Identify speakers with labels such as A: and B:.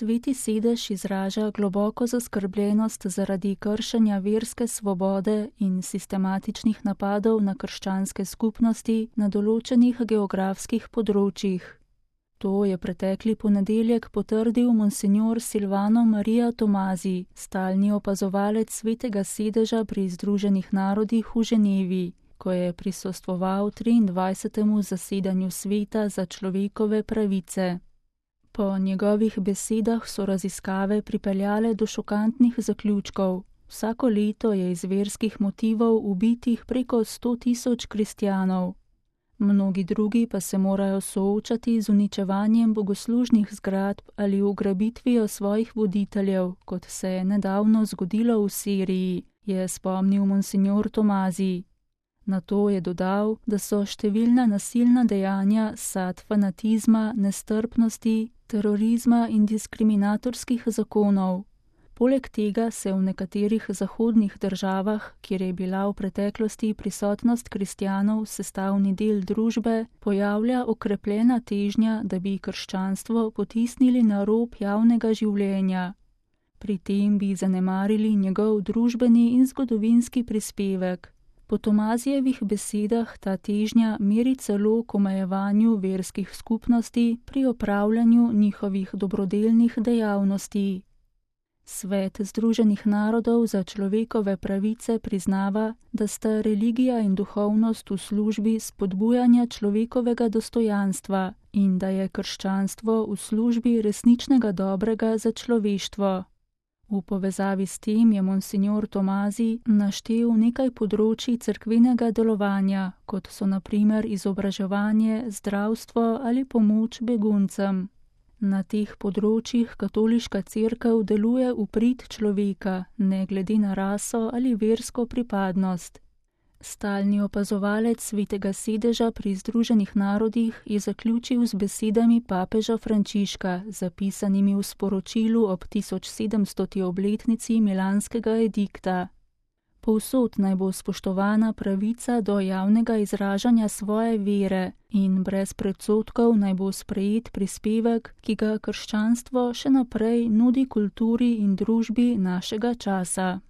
A: Sveti sedež izraža globoko zaskrbljenost zaradi kršenja verske svobode in sistematičnih napadov na krščanske skupnosti na določenih geografskih področjih. To je pretekli ponedeljek potrdil monsinjor Silvano Maria Tomazi, stalni opazovalec Svetega sedeža pri Združenih narodih v Ženevi, ko je prisostvoval 23. zasedanju Sveta za človekove pravice. Po njegovih besedah so raziskave pripeljale do šokantnih zaključkov. Vsako leto je iz verskih motivov ubitih preko 100.000 kristjanov. Mnogi drugi pa se morajo soočati z uničevanjem bogoslužnih zgradb ali ugrabitvijo svojih voditeljev, kot se je nedavno zgodilo v Siriji, je spomnil monsinjor Tomazi. Na to je dodal, da so številna nasilna dejanja sad fanatizma, nestrpnosti, terorizma in diskriminatorskih zakonov. Poleg tega se v nekaterih zahodnih državah, kjer je bila v preteklosti prisotnost kristjanov sestavni del družbe, pojavlja okrepljena težnja, da bi krščanstvo potisnili na rob javnega življenja. Pri tem bi zanemarili njegov družbeni in zgodovinski prispevek. Po Tomazijevih besedah ta težnja meri celo k omejevanju verskih skupnosti pri opravljanju njihovih dobrodelnih dejavnosti. Svet Združenih narodov za človekove pravice priznava, da sta religija in duhovnost v službi spodbujanja človekovega dostojanstva in da je krščanstvo v službi resničnega dobrega za človeštvo. V povezavi s tem je monsinjor Tomazi naštel nekaj področij cerkvenega delovanja, kot so na primer izobraževanje, zdravstvo ali pomoč beguncem. Na teh področjih katoliška cerkev deluje v prid človeka, ne glede na raso ali versko pripadnost. Stalni opazovalec Svetega sedeža pri Združenih narodih je zaključil z besedami papeža Frančiška, zapisanimi v sporočilu ob 1700. obletnici Milanskega edikta. Povsod naj bo spoštovana pravica do javnega izražanja svoje vere in brez predsodkov naj bo sprejet prispevek, ki ga krščanstvo še naprej nudi kulturi in družbi našega časa.